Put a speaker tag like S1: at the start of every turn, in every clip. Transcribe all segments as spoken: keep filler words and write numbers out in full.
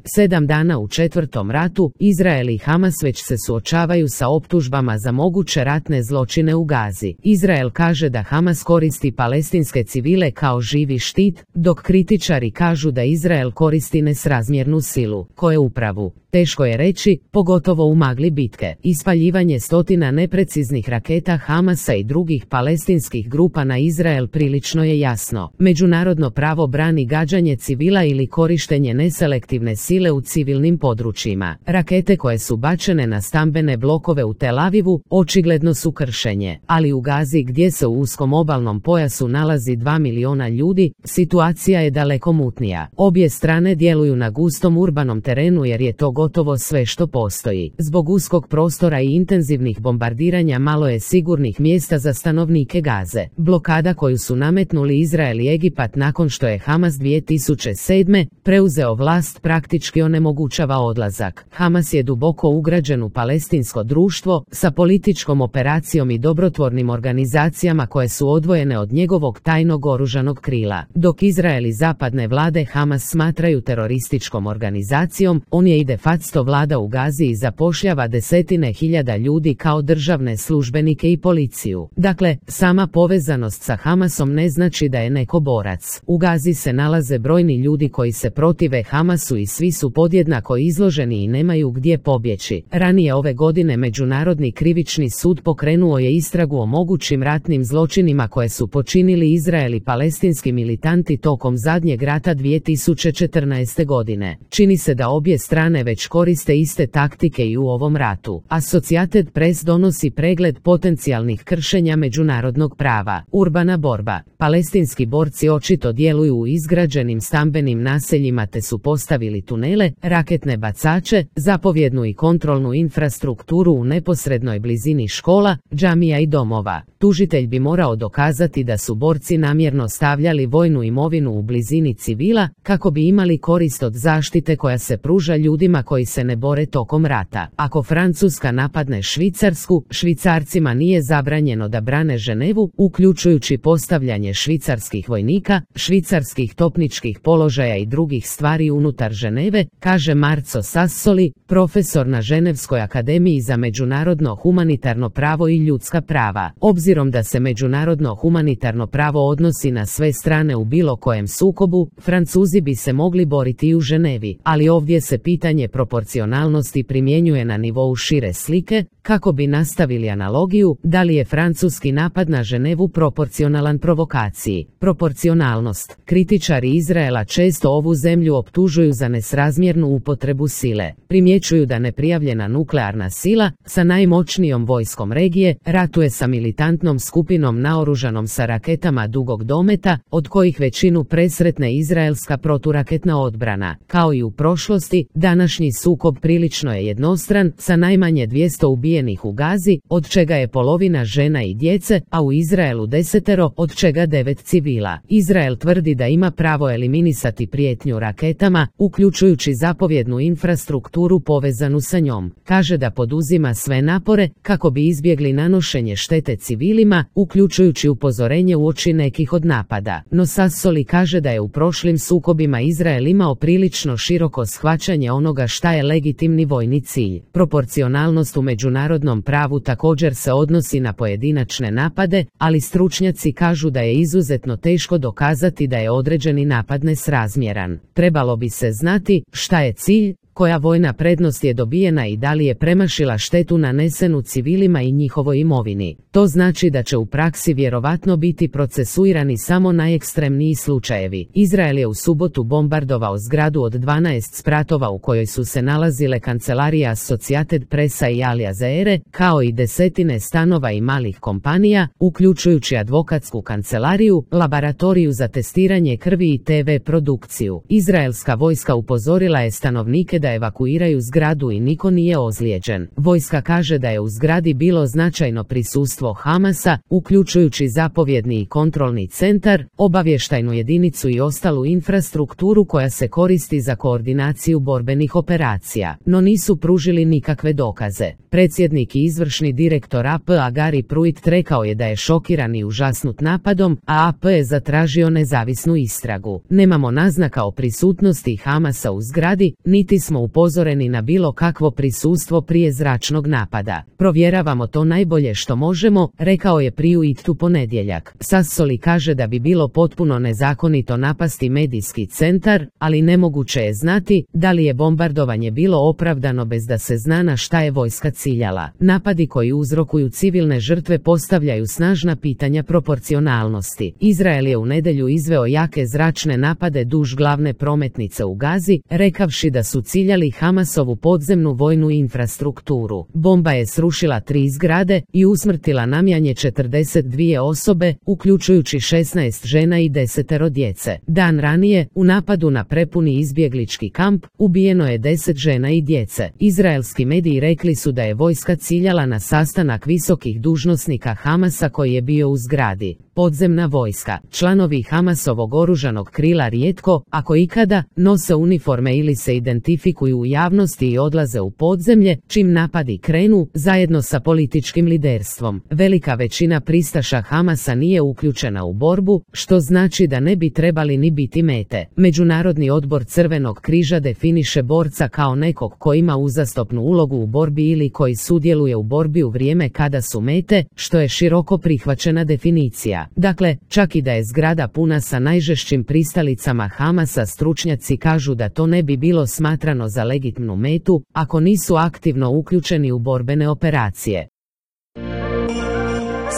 S1: Sedam dana u četvrtom ratu, Izrael i Hamas već se suočavaju sa optužbama za moguće ratne zločine u Gazi. Izrael kaže da Hamas koristi palestinske civile kao živi štit, dok kritičari kažu da Izrael koristi nesrazmjernu silu. Koje upravu? Teško je reći, pogotovo u magli bitke. Ispaljivanje stotina nepreciznih raketa Hamasa i drugih palestinskih grupa na Izrael prilično je jasno. Međunarodno pravo brani gađanje civila ili korištenje neselektivne sile u civilnim područjima. Rakete koje su bačene na stambene blokove u Tel Avivu očigledno su kršenje, ali u Gazi gdje se u uskom obalnom pojasu nalazi dva miliona ljudi, situacija je daleko mutnija. Obje strane djeluju na gustom urbanom terenu jer je to gotovo sve što postoji. Zbog uskog prostora i intenzivnih bombardiranja malo je sigurnih mjesta za stanovnike Gaze. Blokada koju su nametnuli Izrael i Egipat nakon što je Hamas dvije tisuće sedme preuzeo vlast praktički onemogućava odlazak. Hamas je duboko ugrađen u palestinsko društvo sa političkom operacijom i dobrotvornim organizacijama koje su odvojene od njegovog tajnog oružanog krila. Dok Izrael i zapadne vlade Hamas smatraju terorističkom organizacijom, on je i de facto vlada u Gazi i zapošljava desetine hiljada ljudi kao državne službenike i policiju. Dakle, sama povezanost sa Hamasom ne znači da je neko borac. U Gazi se nalaze brojni ljudi koji se protive Hamasu i svi su podjednako izloženi i nemaju gdje pobjeći. Ranije ove godine Međunarodni krivični sud pokrenuo je istragu o mogućim ratnim zločinima koje su počinili Izrael i palestinski militanti tokom zadnjeg rata dvije tisuće četrnaeste. godine. Čini se da obje strane već koriste iste taktike i u ovom ratu. Associated Press donosi pregled potencijalnih kršenja međunarodnog prava. Urbana borba. Palestinski borci očito djeluju u izgrađenim stambenim naseljima te su postavili tunele, raketne bacače, zapovjednu i kontrolnu infrastrukturu u neposrednoj blizini škola, džamija i domova. Tužitelj bi morao dokazati da su borci namjerno stavljali vojnu imovinu u blizini civila kako bi imali korist od zaštite koja se pruža ljudima koji se ne bore tokom rata. Ako Francuska napadne Švicarsku, Švicarcima nije zabranjeno da brane Ženevu, uključujući postavljanje švicarskih vojnika, švicarskih topničkih položaja i drugih stvari unutar Ženeve, kaže Marco Sassoli, profesor na Ženevskoj akademiji za međunarodno humanitarno pravo i ljudska prava. Obzirom da se međunarodno humanitarno pravo odnosi na sve strane u bilo kojem sukobu, Francuzi bi se mogli boriti i u Ženevi, ali ovdje se pitanje proporcionalnosti primjenjuje na nivou šire slike, kako bi nastavili analogiju, da li je francuski napad na Ženevu proporcionalan provokaciji. Proporcionalnost. Kritičari Izraela često ovu zemlju optužuju za nesrazmjernu upotrebu sile. Primjećuju da neprijavljena nuklearna sila, sa najmoćnijom vojskom regije, ratuje sa militantnom skupinom naoružanom sa raketama dugog dometa, od kojih većinu presretne izraelska proturaketna odbrana. Kao i u prošlosti, današnji sukob prilično je jednostran, sa najmanje dvjesto ubijenih u Gazi, od čega je polovina žena i djece, a u Izraelu desetero, od čega devet civila. Izrael tvrdi da ima pravo eliminisati prijetnju raketama, uključujući zapovjednu infrastrukturu povezanu sa njom. Kaže da poduzima sve napore kako bi izbjegli nanošenje štete civilima, uključujući upozorenje uoči nekih od napada. No Sassoli kaže da je u prošlim sukobima Izrael imao prilično široko shvaćanje onoga šta je legitimni vojni cilj. Proporcionalnost u međunarodnom pravu također se odnosi na pojedinačne napade, ali stručnjaci kažu da je izuzetno teško dokazati da je određeni napad nesrazmjeran. Trebalo bi se znati šta je cilj, koja vojna prednost je dobijena i da li je premašila štetu nanesenu civilima i njihovoj imovini. To znači da će u praksi vjerovatno biti procesuirani samo najekstremniji slučajevi. Izrael je u subotu bombardovao zgradu od dvanaest spratova u kojoj su se nalazile kancelarija Associated Pressa i Al Jazeere, kao i desetine stanova i malih kompanija, uključujući advokatsku kancelariju, laboratoriju za testiranje krvi i te ve produkciju. Izraelska vojska upozorila je stanovnike da da evakuiraju zgradu i niko nije ozlijeđen. Vojska kaže da je u zgradi bilo značajno prisustvo Hamasa, uključujući zapovjedni i kontrolni centar, obavještajnu jedinicu i ostalu infrastrukturu koja se koristi za koordinaciju borbenih operacija, no nisu pružili nikakve dokaze. Predsjednik i izvršni direktor A P-a Gary Pruitt rekao je da je šokiran i užasnut napadom, a A P je zatražio nezavisnu istragu. Nemamo naznaka o prisutnosti Hamasa u zgradi, niti smo upozoreni na bilo kakvo prisustvo prije zračnog napada. Provjeravamo to najbolje što možemo, rekao je Pruitt u ponedjeljak. Sassoli kaže da bi bilo potpuno nezakonito napasti medijski centar, ali nemoguće je znati da li je bombardovanje bilo opravdano bez da se zna na šta je vojska ciljala. Napadi koji uzrokuju civilne žrtve postavljaju snažna pitanja proporcionalnosti. Izrael je u nedjelju izveo jake zračne napade duž glavne prometnice u Gazi, rekavši da su ciljali Hamasovu podzemnu vojnu infrastrukturu. Bomba je srušila tri zgrade i usmrtila najmanje četrdeset dvije osobe, uključujući šesnaest žena i desetero djece. Dan ranije, u napadu na prepuni izbjeglički kamp, ubijeno je deset žena i djece. Izraelski mediji rekli su da je vojska ciljala na sastanak visokih dužnosnika Hamasa koji je bio u zgradi. Podzemna vojska. Članovi Hamasovog oružanog krila rijetko, ako ikada, nose uniforme ili se identifikuju u javnosti i odlaze u podzemlje, čim napadi krenu, zajedno sa političkim liderstvom. Velika većina pristaša Hamasa nije uključena u borbu, što znači da ne bi trebali ni biti mete. Međunarodni odbor Crvenog križa definiše borca kao nekog ko ima uzastopnu ulogu u borbi ili koji sudjeluje u borbi u vrijeme kada su mete, što je široko prihvaćena definicija. Dakle, čak i da je zgrada puna sa najžešćim pristalicama Hamasa, stručnjaci kažu da to ne bi bilo smatrano za legitimnu metu, ako nisu aktivno uključeni u borbene operacije.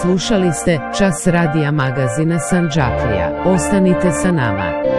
S1: Slušali ste Čas radija magazina Sandžaklija. Ostanite sa nama.